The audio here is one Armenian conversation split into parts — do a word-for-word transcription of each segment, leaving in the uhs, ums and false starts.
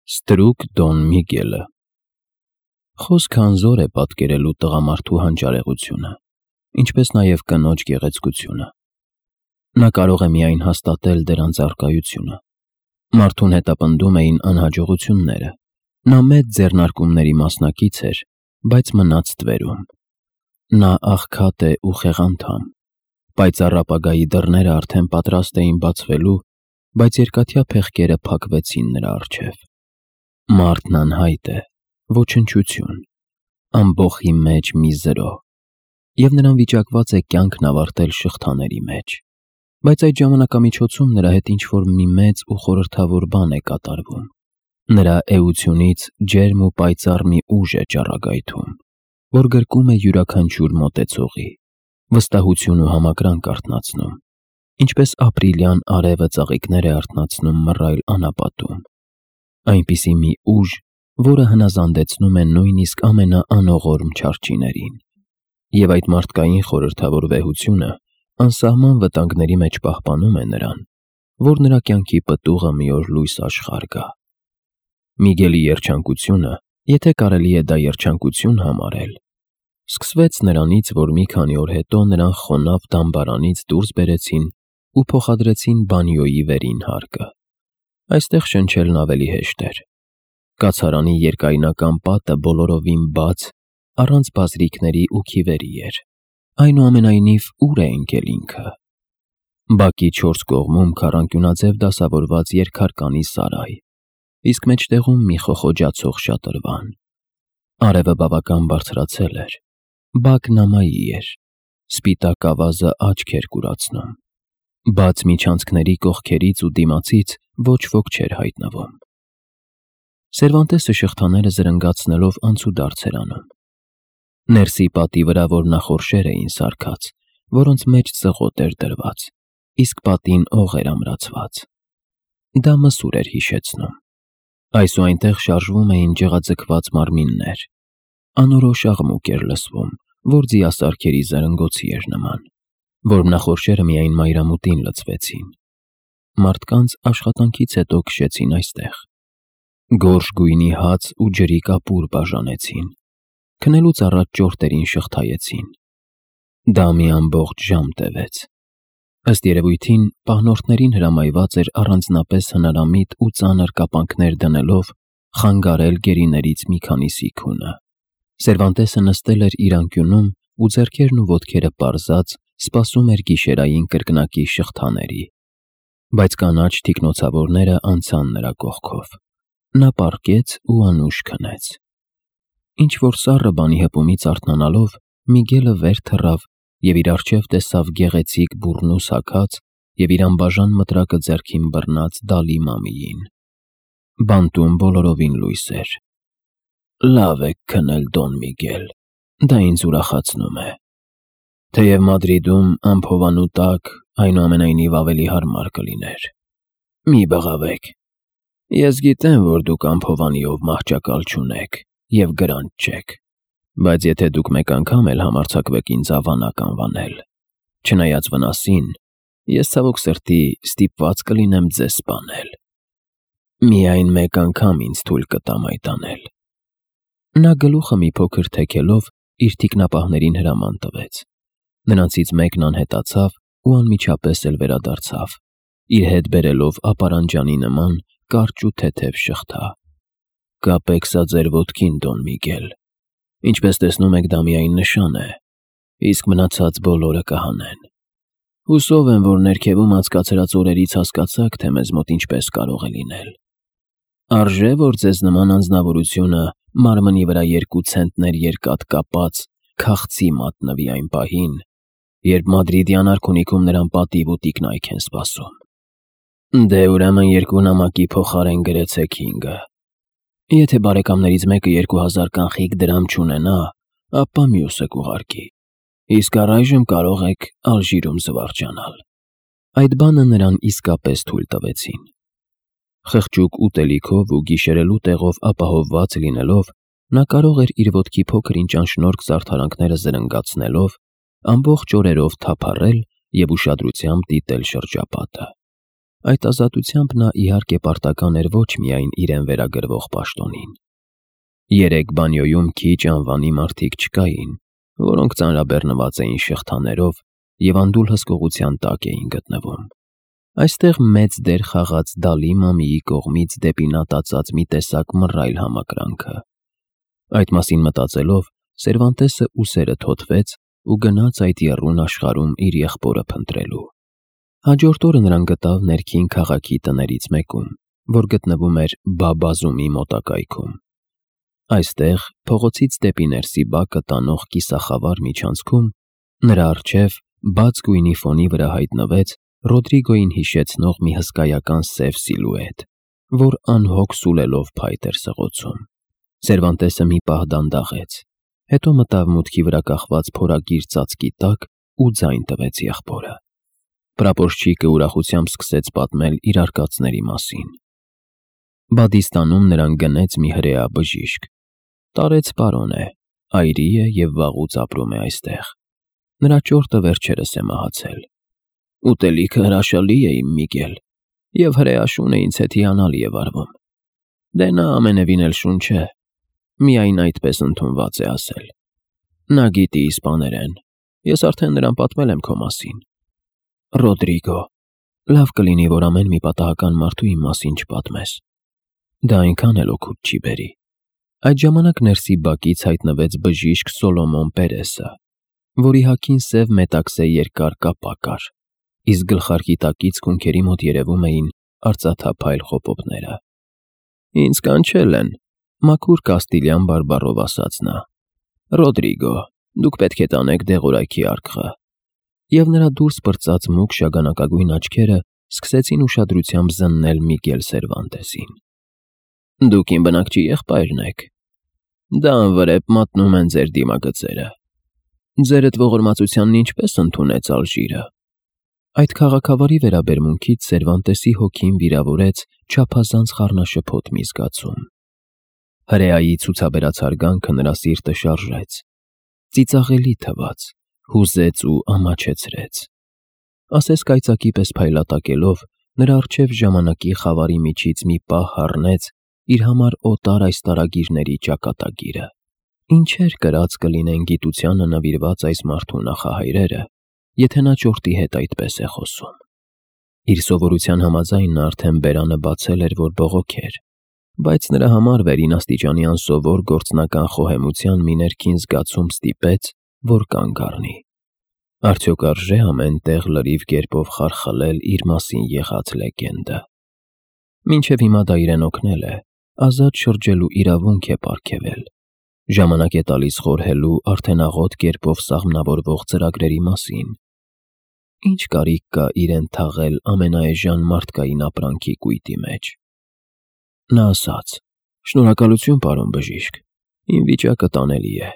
Ստրուկ Դոն Միգելը Խոսքը անզոր է պատկերելու տղամարդու հանճարեղությունը, ինչպես նաև կնոջ գեղեցկությունը։ Նա կարող է միայն հաստատել դրանց առկայությունը։ Մարդուն հետապնդում էին անհաջողությունները։ Նա մեծ ձեռնարկումների մասնակից էր, բայց մնաց ստվերում։ Նա աղքատ է ու խեղանդամ, պայծառ ապագայի դռները արդեն պատրաստ էին բացվելու, բայց երկաթյա փեղկերը փակվեցին նրա առջև։ Մարդն անհայտ է, ոչնչություն, ամբոխի մեջ մի զրո, և նրան վիճակված է կյանքն ավարտել շղթաների մեջ, բայց այդ ժամանակամիջոցում նրա հետ ինչ-որ մի մեծ ու խորհրդավոր բան է կատարվում։ Նրա էությունից ջերմ ու պայծառ մի ուժ է ճառագայթում, որ գրկում է յուրաքանչյուր մոտեցողի, վստահություն ու համակրանք արթնացնում, ինչպես ապրիլյան արևը ծաղիկներ է արթնացնում մռայլ անապատում։ Այնպիսի մի ուժ, որը հնազանդեցնում է նույնիսկ ամենաանողորմ չարչիներին, և այդ մարդկային խորհրդավոր վեհությունը անսահման վտանգների մեջ պահպանում է նրան, որ նրա կյանքի պտուղը մի օր լույս աշխարհ գա։ Միգելի երջանկությունը, եթե կարելի է դա երջանկություն համարել, սկսվեց նրանից, որ մի քանի օր հետո նրան խոնավ դամբարանից դուրս բերեցին ու փոխադրեցին բանյոյի վերին հարկը։ Այստեղ շնչելն ավելի հեշտ էր։ Կացարանի երկայնական պատը բոլորովին բաց, առանց բազրիքների ու քիվերի էր։ Այնուամենայնիվ, ուր է ընկել ինքը։ Բակի չորս կողմում քառանկյունաձև դասավորված երկհարկանի սարայ, իսկ մեջտեղում մի խոխոջացող շատրվան։ Արևը բավական բարձրացել էր։ Բակն ամայի էր։ Սպիտակ ավազը աչք էր կուրացնում։ Բաց միջանցքների կողքերից ու դիմացից ոչ ոք չէր հայտնվում։ Սերվանտեսը շղթաները զրնգացնելով անցուդարձ էր անում։ Ներսի պատի վրա որնախորշեր էին սարքած, որոնց մեջ ծղոտ էր դրված, իսկ պատին օղ էր ամրացված։ Դա մսուր էր հիշեցնում։ Այս ու այնտեղ շարժվում էին ջղաձգված մարմիններ։ Անորոշ աղմուկ էր լսվում, որ ձիասարքերի զրնգոցի էր նման։ Որմնախորշերը միայն մայրամուտին լցվեցին։ Մարդկանց աշխատանքից հետո քշեցին այստեղ։ Գորշ գույնի հաց ու ջրի կապուր բաժանեցին։ Քնելուց առաջ ճորտերին շղթայեցին։ Դա մի ամբողջ ժամ տևեց։ Ըստ երևույթին, պահնորդներին հրամայված էր առանձնապես հնարամիտ ու ծանր կապանքներ դնելով խանգարել գերիներից մի քանիսի քունը։ Սերվանտեսը նստել էր իր անկյունում ու ձեռքերն ու ոտքերը պարզած սպասում էր գիշերային կրկնակի շղթաների, բայց կանաչ թիկնոցավորները անցան նրա կողքով։ Նա պառկեց ու անուշ քնեց։ Ինչ-որ սառը բանի հպումից արթնանալով, Միգելը վեր թռավ և իր առջև տեսավ գեղեցիկ բուռնուս հագած և իր անբաժան մտրակը ձեռքին բռնած Դալի Մամիին։ Բանտում բոլորովին լույս էր։ Լավ եք քնել, Դոն Միգել, դա ինձ ուրախացնում է։ Թեև Մադրիդում անփովանու տակ այնուամենայնիվ ավելի հարմար կլիներ։ Մի բղավեք։ Ես գիտեմ, որ դուք անփովանիով մահճակալ չունեք և գրանտ չեք, բայց եթե դուք մեկ անգամ էլ համարձակվեք ինձ ավանակ անվանել, չնայած վնասին, ես ցավոք սրտի ստիպված կլինեմ ձեզ սպանել։ Միայն մեկ անգամ ինձ թույլ կտամ այդ անել։ Նա գլուխը մի փոքր թեքելով իր թիկնապահներին հրաման տվեց։ Նրանցից մեկն անհետացավ ու անմիջապես էլ վերադարձավ, իր հետ բերելով ապարանջանի նման կարճ ու թեթև շղթա։ Կապեք սա ձեր ոտքին, Դոն Միգել։ Ինչպես տեսնում եք, դա միայն նշան է, իսկ մնացած բոլորը կհանեն։ Հուսով եմ, որ ներքևում անցկացրած օրերից հասկացաք, թե մեզ մոտ ինչպես կարող է լինել։ Արժե՞ որ ձեզ նման անձնավորությունը մարմնի վրա երկու ցենտներ երկաթ կապած քաղցի մատնվի այն պահին, երբ մադրիդյան արքունիքում նրան պատիվ ու տիկնայք են սպասում։ Դե ուրեմն երկու նամակի փոխարեն գրեցեք հինգը։ Եթե բարեկամներից մեկը երկու հազար կանխիկ դրամ չունենա, ապա մյուսը կուղարկի, իսկ առայժմ կարող եք Ալժիրում զվարճանալ։ Այդ բանը նրան իսկապես թույլ տվեցին։ Խղճուկ ուտելիքով ու գիշերելու տեղով ապահովված լինելով, նա կարող էր իր ոտքի փոքր-ինչ անշնորհք զարդարանքները զրնգացնելով ամբողջ օրերով թափառել և ուշադրությամբ դիտել շրջապատը։ Այդ ազատությամբ նա իհարկե պարտական էր ոչ միայն իրեն վերագրվող պաշտոնին։ Երեք բանյոյում քիչ անվանի մարդիկ չկային, որոնք ծանրաբեռնված էին շղթաներով և անդուլ հսկողության տակ էին գտնվում։ Այստեղ մեծ դեր խաղաց Դալի մամիի կողմից դեպի նա տածած մի տեսակ մռայլ համակրանքը։ Այդ մասին մտածելով, Սերվանտեսը ուսերը թոթվեց ու գնաց այդ եռուն աշխարհում իր եղբորը փնտրելու։ Հաջորդ օրը նրան գտավ ներքին քաղաքի տներից մեկում, որ գտնվում էր Բաբազումի մոտակայքում։ Այստեղ, փողոցից դեպի ներսի բակը տանող կիսախավար միջանցքում, նրա առջև բաց գույնի ֆոնի վրա հայտնվեց Ռոդրիգոյին հիշեցնող մի հսկայական սև սիլուետ, որ անհոգ սուլելով փայտ էր սղոցում։ Սերվանտեսը մի պահ դանդաղեց, հետո մտավ մուտքի վրա կախված փորագիր ծածկի տակ ու ձայն տվեց եղբորը։ Պրապորչիկը ուրախությամբ սկսեց պատմել իր արկածների մասին։ Բադիստանում նրան գնեց մի հրեա բժիշկ։ Տարեց պարոն է, այրի է և վաղուց ապրում է այստեղ։ Նրա ճորտը վերջերս է մահացել։ Ուտելիքը հրաշալի է, իմ Միգել, և հրեաշունը ինձ հետ հիանալի է վարվում։ Դե նա ամենևին էլ շուն չէ, միայն այդպես ընդունված է ասել։ Նա գիտի իսպաներեն, ես արդեն նրան պատմել եմ քո մասին։ Ռոդրիգո, լավ կլինի, որ ամեն մի պատահական մարդու իմ մասին չպատմես։ Դա այնքան էլ օգուտ չի բերի։ Այդ ժամանակ ներսի բակից հայտնվեց բժիշկ Սոլոմոն Պերեսը, որի հագին սև մետաքսե երկար կապա կար, իսկ գլխարկի տակից քունքերի մոտ երևում էին արծաթափայլ խոպոպները։ Ինձ կանչել են, մաքուր կաստիլյան բարբառով ասաց նա։ Ռոդրիգո, դուք պետք է տանեք դեղորայքի արկղը։ Եվ նրա դուրս պրծած մուգ շագանակագույն աչքերը սկսեցին ուշադրությամբ զննել Միգել Սերվանտեսին։ Դուք իմ բնակչի եղբայրն եք։ Դա անվրեպ մատնում են ձեր դիմագծերը։ Ձերդ ողորմածությանն ինչպես ընդունեց Ալժիրը։ Այդ քաղաքավարի վերաբերմունքից Սերվանտեսի հոգին վիրավորեց չափազանց խառնաշփոթ մի զգացում։ Հրեայի ցուցաբերած հարգանքը նրա սիրտը շարժեց, ծիծաղելի թվաց, հուզեց ու ամաչեցրեց։ Ասես կայծակի պես փայլատակելով, նրա առջև ժամանակի խավարի միջից մի պահ հառնեց իր համար օտար այս տարագիրների ճակատագիրը։ Ինչեր կրած կլինեն գիտությանը նվիրված այս մարդու նախահայրերը, եթե նա ճորտի հետ այդպես է խոսում։ Իր սովորության համաձայն նա արդեն բերանը բացել էր, որ բողոքեր, բայց նրա համար վերին աստիճանի անսովոր գործնական խոհեմության մի ներքին զգացում ստիպեց, որ կանգ առնի։ Արդյոք արժե ամեն տեղ լրիվ կերպով խարխլել իր մասին եղած լեգենդը։ Մինչև հիմա դա իրեն օգնել է, ազատ շրջելու իրավունք է պարգևել։ Ժամանակ է տալիս խորհելու արդեն աղոտ կերպով սաղմնավորվող ծրագրերի մասին։ Ինչ կարիք կա իրեն թաղել ամենաէժան մարդկային ապրանքի կույտի մեջ։ Նա ասաց. «Շնորհակալություն, պարոն բժիշկ, իմ վիճակը տանելի է։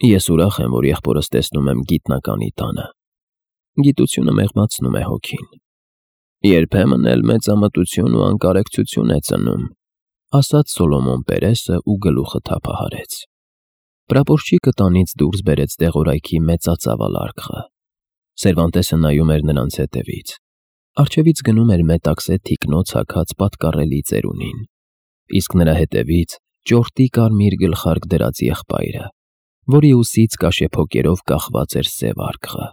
Ես ուրախ եմ, որ եղբորս տեսնում եմ գիտնականի տանը։ Գիտությունը մեղմացնում է հոգին։ Երբեմն էլ մեծամտություն ու անկարեկցություն է ծնում», ասաց Սոլոմոն Պերեսը ու գլուխը թափահարեց։ Պրապորչիկը տանից դուրս բերեց դեղորայքի մեծածավալ արկղը։ Սերվանտեսը նայում էր նրանց հետևից։ Առջևից գնում էր մետաքսե թիկնոց հագած պատկառելի ծերունին, իսկ նրա հետևից ճորտի կարմիր գլխարկ դրած եղբայրը, որի ուսից կաշեփոկերով կախված էր սև արկղը։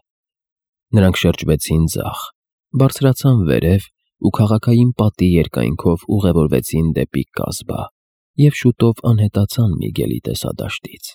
Նրանք շրջվեցին ձախ, բարձրացան վերև ու քաղաքային պատի երկայնքով ուղևորվեցին դեպի կազբա և շուտով անհետացան Միգելի տեսադաշտից։